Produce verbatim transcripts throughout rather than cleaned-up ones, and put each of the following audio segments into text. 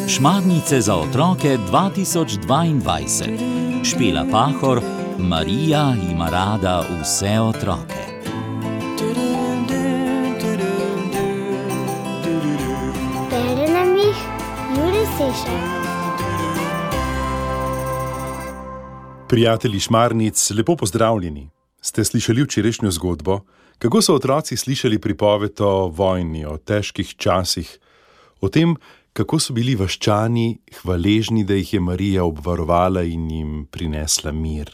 Šmarnice za otroke dva tisoč dvaindvajset. Špela Pahor, Marija ima rada vse otroke. Bere nam jih Jure Sešar. Prijatelji Šmarnic, lepo pozdravljeni. Ste slišali včerajšnjo zgodbo? Kako so otroci slišali pripoved o vojni, o težkih časih, o tem, kako so bili vaščani hvaležni, da jih je Marija obvarovala in jim prinesla mir.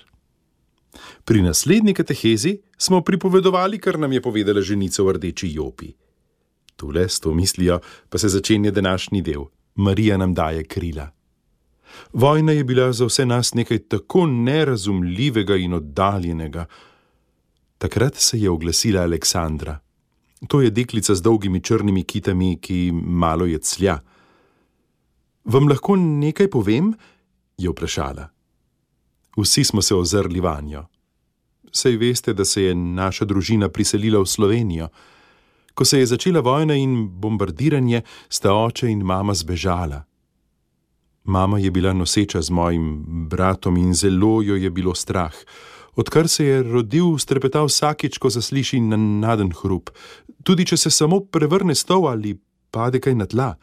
Pri naslednji katehezi smo pripovedovali, kar nam je povedala ženica v rdeči jopi. Tule, s to mislijo, pa se začenja današnji del. Marija nam daje krila. Vojna je bila za vse nas nekaj tako nerazumljivega in oddaljenega. Takrat se je oglasila Aleksandra. To je deklica z dolgimi črnimi kitami, ki malo jeclja. Vam lahko nekaj povem? Je vprašala. Vsi smo se ozrli vanjo. Saj veste, da se je naša družina priselila v Slovenijo. Ko se je začela vojna in bombardiranje, sta oče in mama zbežala. Mama je bila noseča z mojim bratom in zelo jo je bilo strah. Odkar se je rodil, strepeta vsakič, ko zasliši nenaden hrup, tudi če se samo prevrne stol ali pade kaj na tla.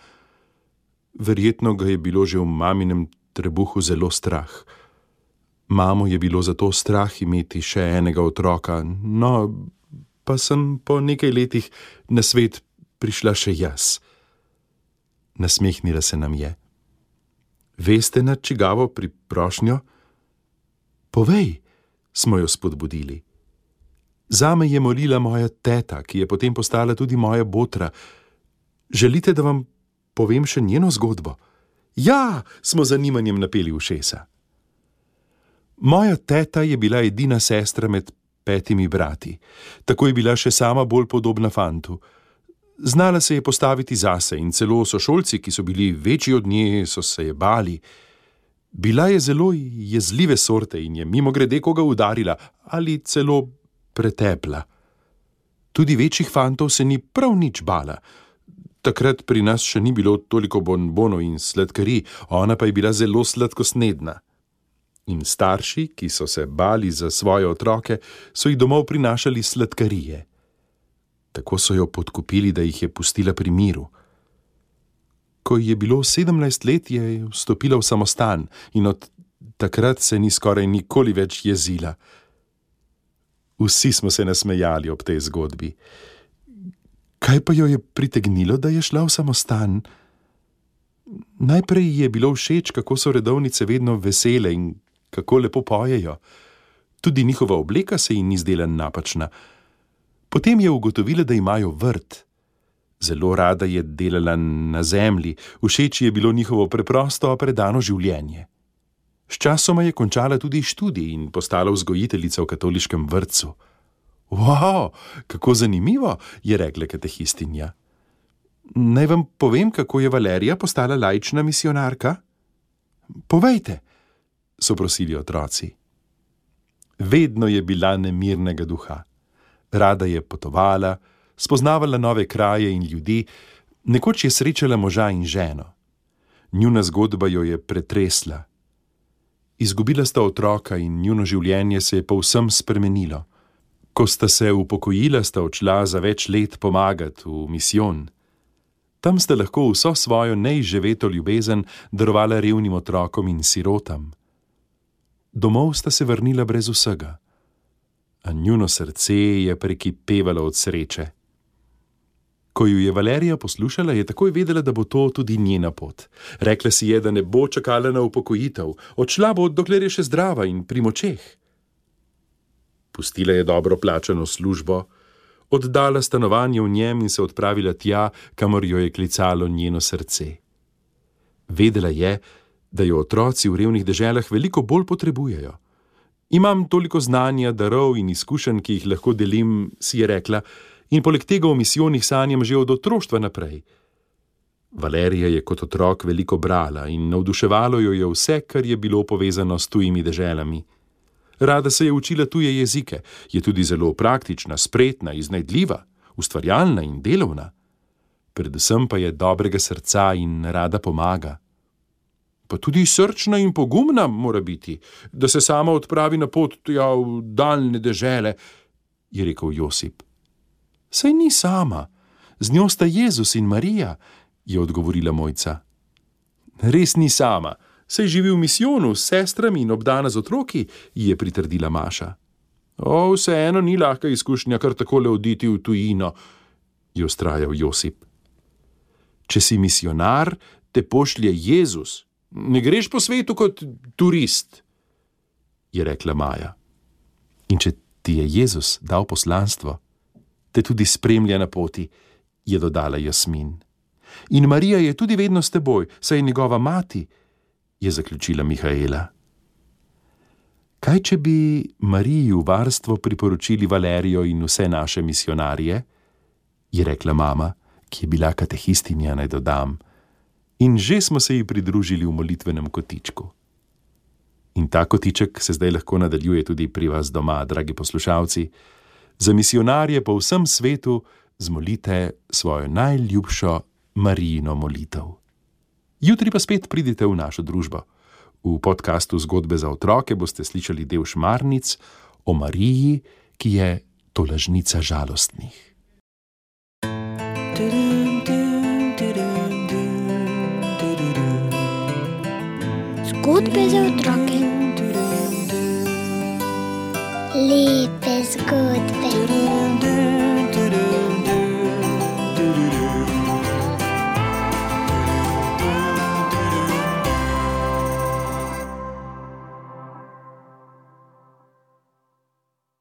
Verjetno ga je bilo že v maminem trebuhu zelo strah. Mamo je bilo zato strah imeti še enega otroka, no, pa sem po nekaj letih na svet prišla še jaz. Nasmehnila se nam je. Veste, na čigavo priprošnjo? Povej, smo jo spodbudili. Zame je molila moja teta, ki je potem postala tudi moja botra. Želite, da vam povem še njeno zgodbo? Ja, smo z zanimanjem napeli ušesa. Moja teta je bila edina sestra med petimi brati. Tako je bila še sama bolj podobna fantu. Znala se je postaviti zase in celo sošolci, ki so bili večji od nje, so se je bali. Bila je zelo jezljive sorte in je mimogrede koga udarila ali celo pretepla. Tudi večjih fantov se ni prav nič bala. Takrat pri nas še ni bilo toliko bonbonov in sladkarij, ona pa je bila zelo sladkosnedna. In starši, ki so se bali za svoje otroke, so jih domov prinašali sladkarije. Tako so jo podkupili, da jih je pustila pri miru. Ko je bilo sedemnajst let, je vstopila v samostan in od takrat se ni skoraj nikoli več jezila. Vsi smo se nasmejali ob tej zgodbi. Kaj pa jo je pritegnilo, da je šla v samostan? Najprej je bilo všeč, kako so redovnice vedno vesele in kako lepo pojejo. Tudi njihova obleka se ji ni zdela napačna. Potem je ugotovila, da imajo vrt. Zelo rada je delala na zemlji, všeč je bilo njihovo preprosto, a predano življenje. Sčasoma je končala tudi študij in postala vzgojiteljica v katoliškem vrtcu. Wow, kako zanimivo, je rekla katehistinja. Naj vam povem, kako je Valerija postala laična misijonarka? Povejte, so prosili otroci. Vedno je bila nemirnega duha. Rada je potovala, spoznavala nove kraje in ljudi, nekoč je srečala moža in ženo. Njuna zgodba jo je pretresla. Izgubila sta otroka in njuno življenje se je povsem spremenilo. Ko sta se upokojila, sta odšla za več let pomagati v misijon. Tam sta lahko vso svojo neizživeto ljubezen darovala revnim otrokom in sirotam. Domov sta se vrnila brez vsega, a njuno srce je prekipevalo od sreče. Ko ju je Valerija poslušala, je takoj vedela, da bo to tudi njena pot. Rekla si je, da ne bo čakala na upokojitev, odšla bo, dokler je še zdrava in pri močeh. Pustila je dobro plačano službo, oddala stanovanje v njem in se odpravila tja, kamor jo je klicalo njeno srce. Vedela je, da jo otroci v revnih deželah veliko bolj potrebujejo. Imam toliko znanja, darov in izkušenj, ki jih lahko delim, si je rekla, in poleg tega v misijonih sanjam že od otroštva naprej. Valerija je kot otrok veliko brala in navduševalo jo je vse, kar je bilo povezano s tujimi deželami. Rada se je učila tuje jezike, je tudi zelo praktična, spretna, iznajdljiva, ustvarjalna in delovna. predvsem pa je dobrega srca in rada pomaga. Pa tudi srčna in pogumna mora biti, da se sama odpravi na pot tja v daljne dežele, je rekel Josip. Saj ni sama, z njo sta Jezus in Marija, je odgovorila Mojca. Res ni sama, saj živi v misijonu s sestrami in obdana z otroki, ji je pritrdila Maša. O, vseeno ni lahka izkušnja kar takole oditi v tujino, je vztrajal Josip. Če si misionar, te pošlje Jezus. Ne greš po svetu kot turist, je rekla Maja. In če ti je Jezus dal poslanstvo, te tudi spremlja na poti, je dodala Jasmin. In Marija je tudi vedno s teboj, saj je njegova mati, je zaključila Mihaela. Kaj, če bi Mariji v varstvo priporočili Valerijo in vse naše misionarje, je rekla mama, ki je bila katehistinja, naj dodam, in že smo se ji pridružili v molitvenem kotičku. In ta kotiček se zdaj lahko nadaljuje tudi pri vas doma, dragi poslušalci. Za misionarje po vsem svetu zmolite svojo najljubšo Marijino molitev. Jutri pa spet pridite v našo družbo. V podkastu Zgodbe za otroke boste slišali del Šmarnic o Mariji, ki je tolažnica žalostnih. Zgodbe za otroke. Lepe zgodbe.